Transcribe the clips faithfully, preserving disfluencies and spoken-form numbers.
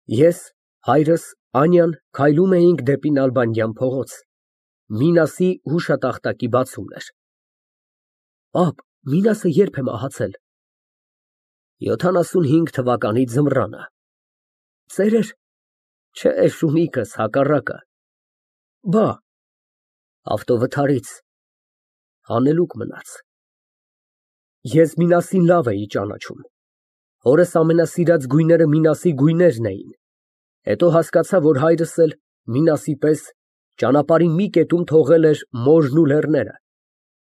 Ես, հայրս, Անյան քայլում էինք դեպի Նալբանդյան փողոց, Մինասի հուշատախտակի բացումն էր։ Պապ, Մինասը ե՞րբ է մահացել։ Յոթանասունհինգ թվականի ձմռանը։ Ծերեր։ Չէ, շունիկս, հակառակը։ Բա։ Ավտովթարից։ Հանելուկ մնաց։ Ես Մինասին լավ էի ճանաչում։ Հորս ամենասիրած գույները Մինասի գույներն էին։ Հետո հասկացա, որ հայրս էլ Մինասի պես ճանապարհի մի կետում թողել էր մորն ու լեռները։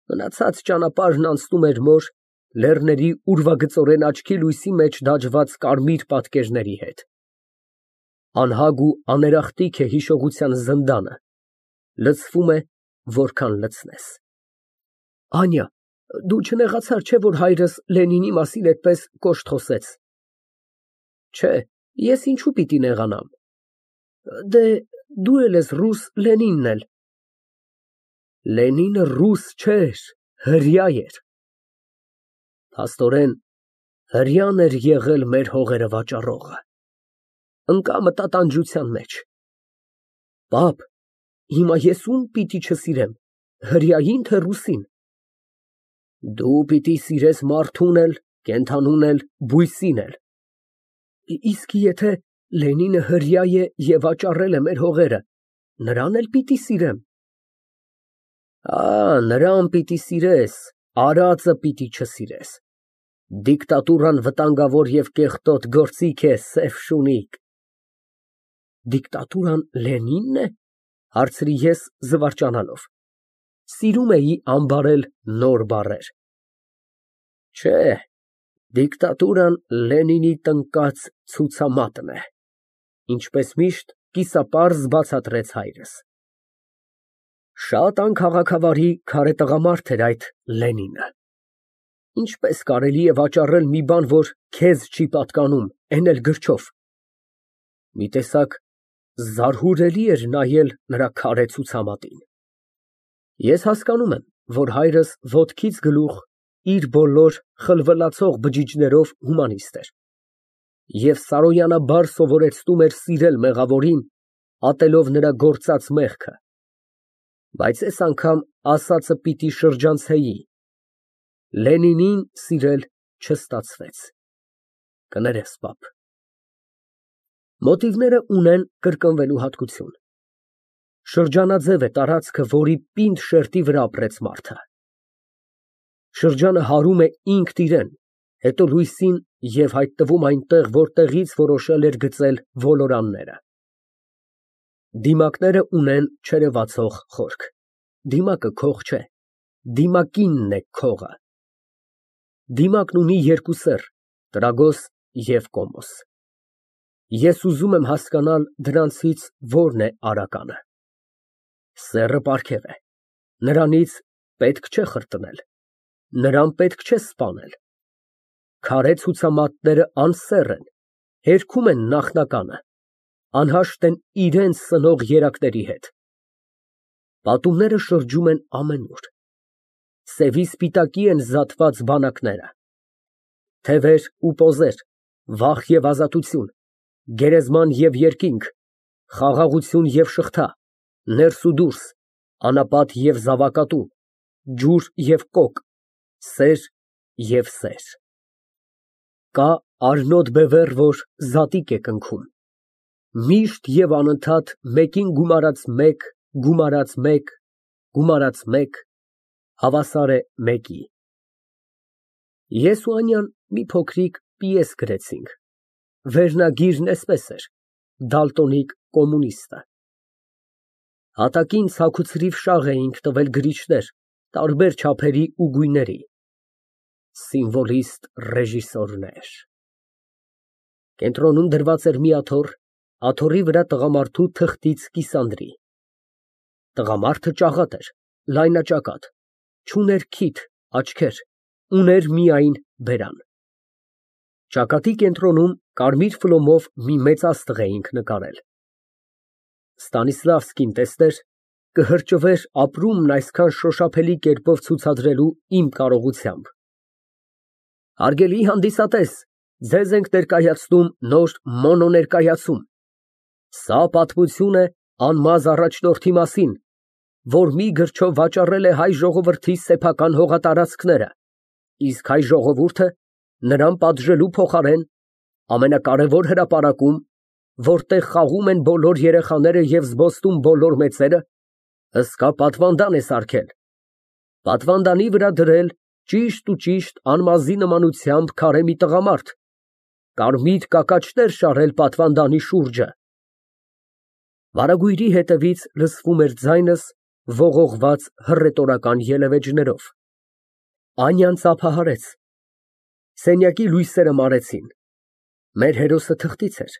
Մնացած ճանապարհն անցնում էր մոր, լեռների ուրվագծորեն աչքի լույսի մեջ դաջված կարմիր պատկերների հետ։ Անհագ ու աներախտիկ է հիշողության զնդանը, լցվում է, որքան լցնես։ Անյա, դու չնեղացար, չէ՞, որ հայրս Լենինի մասին այդպես կոշտ խոսեց։ Չէ, ես ինչու պիտի նեղանամ։ Դե դու էլ ես ռուս, Լենինն էլ։ Լենինը ռուս չէր, հրեա էր։ Փաստորեն, հրեան էր եղել մեր հողերը վաճառողը։ Ընկա մտատանջության մեջ։ Պապ, հիմա ես ում պիտի չսիրեմ, հրեային, թե ռուսին։ Դու պիտի սիրես մարդուն էլ, կենդանուն էլ, բույսին էլ։ Իսկ եթե Լենինը հրեա է և վաճառել է մեր հողերը, նրան էլ պիտի սիրեմ։ Ա, նրան պիտի սիրես, արածը պիտի չսիրես։ Դիկտատուրան վտանգավոր և կեղտոտ գործիք է, սև շունիկ։ Դիկտատուրան Լենինն է, հարցրի ես զվարճանալով։ Սիրում էի անբարել նոր բառեր։ Չէ, դիկտատուրան Լենինի տնկած ցուցամատն է, ինչպես միշտ կիսապարզ բացատրեց հայրս։ Շատ անքաղաքավարի քարե տղամարդ էր այդ Լենինը։ Ինչպես կարելի է վաճառել մի բան, որ քեզ չի պատկանում, էն էլ գրչով։ Մի տեսակ զարհուրելի էր նայել նրա քարե ցուցամատին։ Ես հասկանում եմ, որ հայրս ոտքից գլուխ իր բոլոր խլվլացող բջիջներով հումանիստ էր և սարոյանաբար սովորեցնում էր սիրել մեղավորին, ատելով նրա գործած մեղքը, բայց այս անգամ ասածը պիտի շրջանցեի. Լենինին սիրել չստացվեց։ Կներես, պապ։ Մոտիվները ունեն կրկնվելու հատկություն։ Շրջանաձև է տարածքը, որի պինդ շերտի վրա ապրեց մարդը։ Շրջանը հարում է ինքն իրան, հետո լույսին և հայտնվում այնտեղ, որտեղից որոշել էր գծել ոլորանները։ Դիմակները ունեն չերևացող խորք։ Դիմակը քող չէ, դիմակինն է քողը։ Դիմակն ունի երկու սեռ, տրագոս և կոմոս։ Ես ուզում եմ հասկանալ դրանցից որն է արականը։ Սեռը պարգև է, նրանից պետք չէ խրտնել, նրան պետք չէ սպանել։ Քարե ցուցամատները անսեռ են, հերքում են նախնականը, անհաշտ են իրենց սնող երակների հետ։ Պատումները շրջում են ամենուր։ Սևի սպիտակի են զատված բանակները։ Թևեր ու պոզեր, վախ և ազատություն, գերեզման և երկինք, խաղաղություն և շղթա, ներս ու դուրս, անապատ և զավակատու, ջուր և կոկ, սեր և սեր։ Կա արնոտ բևեռ, որ զատիկ է կնքում, միշտ և անընդհատ մեկին գումարած մեկ, գումարած մեկ, գումարած մեկ, հավասար է մեկի։ Ես ու Անյան մի փոքրիկ պիես գրեցինք, վերնագիրն էսպես էր. «Դալտոնիկ կոմունիստը»։ Հատակին ցաքուցրիվ շաղ էինք տվել գրիչներ, տարբեր չափերի ու գույների։ Սիմվոլիստ ռեժիսորներ։ Կենտրոնում դրված էր մի աթոռ, աթոռի վրա տղամարդու թղթից կիսանդրի։ Տղամարդը ճաղատ էր, լայնաճակատ, չուներ քիթ, աչքեր, ուներ միայն բերան։ Ճակատի կենտրոնում կարմիր ֆլոմով մի մեծ աստղ էինք նկարել։ Ստանիսլավսկին տեսներ, կհրճվեր ապրումն այսքան շոշափելի կերպով ցուցադրելու իմ կարողությամբ։ Հարգելի հանդիսատես, Ձեզ ենք ներկայացնում նոր մոնոներկայացում։ Սա պատմություն է անմազ առաջնորդի մասին, որ մի գրչով վաճառել է հայ ժողովրդի սեփական հողատարածքները, իսկ հայ ժողովուրդը նրան պատժելու փոխարեն ամենակարևոր հրապարակում, որտեղ խաղում են բոլոր երեխաները և զբոսնում բոլոր մեծերը, հսկա պատվանդան է սարքել, պատվանդանի վրա դրել ճիշտ ու ճիշտ անմազի նմանությամբ քարե մի տղամարդ, կարմիր կակաչներ շարել պատվանդանի շուրջը։ Վարագույրի հետևից լսվում էր ձայնս ողողված հռետորական ելևէջներով։ Անյան ծափահարեց։ Սենյակի լույսերը մարեցին։ Մեր հերոսը թղթից էր,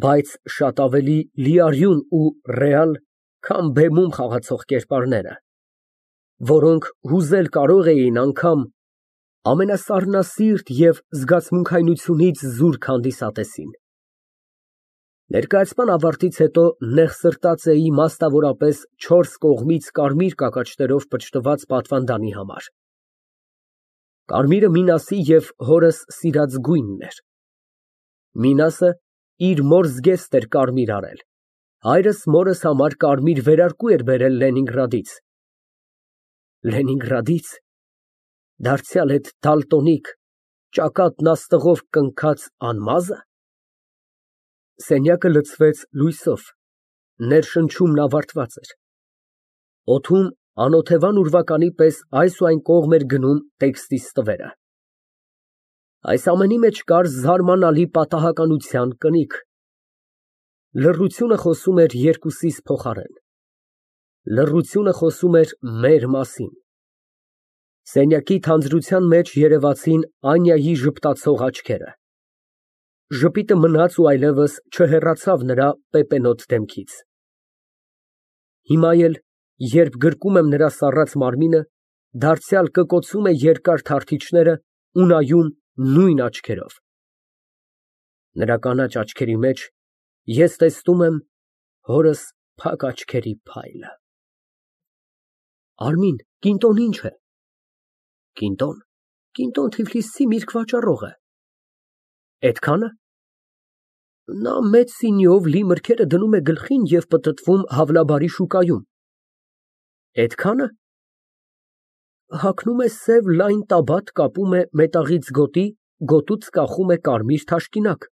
բայց շատ ավելի լիարյուն ու ռեալ, քան բեմում խաղացող կերպարները, որոնք հուզել կարող էին անգամ ամենասառնասիրտ և զգացմունքայնությունից զուրկ հանդիսատեսին։ Ներկայացման ավարտից հետո նեղսրտած էի մասնավորապես չորս կողմից կարմիր կակաչներով պճտված պատվանդանի համար։ Կարմիրը Մինասի և հորս սիրած գույնն էր։ Մինասը իր մոր զգեստ էր կարմիր արել, հայրս մորս համար կարմիր վերարկու էր բերել Լենինգրադից։ Լենինգրադի՞ց, դարձյալ էդ դալտոնիկ, ճակատն աստղով կնքած անմա՞զը։ Սենյակը լցվեց լույսով, ներշնչումն ավարտված էր։ Օդում անօթևան ուրվականի պես այս ու այն կողմ էր գնում տեքստի ստվերը։ Այս ամենի մեջ կար զարմանալի պատահականության կնիք։ Լռությունը խոսում էր երկուսիս փոխարեն։ Լռությունը խոսում էր մեր մասին։ Սենյակի թանձրության մեջ երևացին Անյայի ժպտացող աչքերը։ Ժպիտը մնաց ու այլևս չհեռացավ նրա պեպենոտ դեմքից։ Հիմա էլ, երբ գրկում եմ նրա սառած մարմինը, դարձյալ կկոցում է երկար թարթիչները ու նայում նույն աչքերով։ Նրա կանաչ աչքերի մեջ ես տեսնում եմ հորս փակ աչքերի փայլը։ Արմին, կինտոն ի՞նչ է։ Կինտոն, կինտոն Թիֆլիսցի միրգ վաճառող է։ Էդքա՞նը։ Նա մեծ սինիով լի մրգերը դնում է գլխին և պտտվում Հավլաբարի շուկայում։ Էդքա՞նը։ Հագնում է սև լայն տաբատ, կապում է մետաղից գոտի, գոտուց կախում է կարմիր թաշկինակ։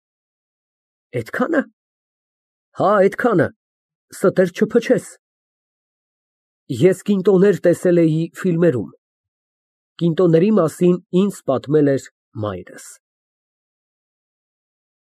Էդքա՞նը։ Հա, էդքանը, ստեր չփչես։ Ես կինտոներ տեսել էի ֆիլմերում։ Կինտոների մասին ինձ պատմել էր մայրս։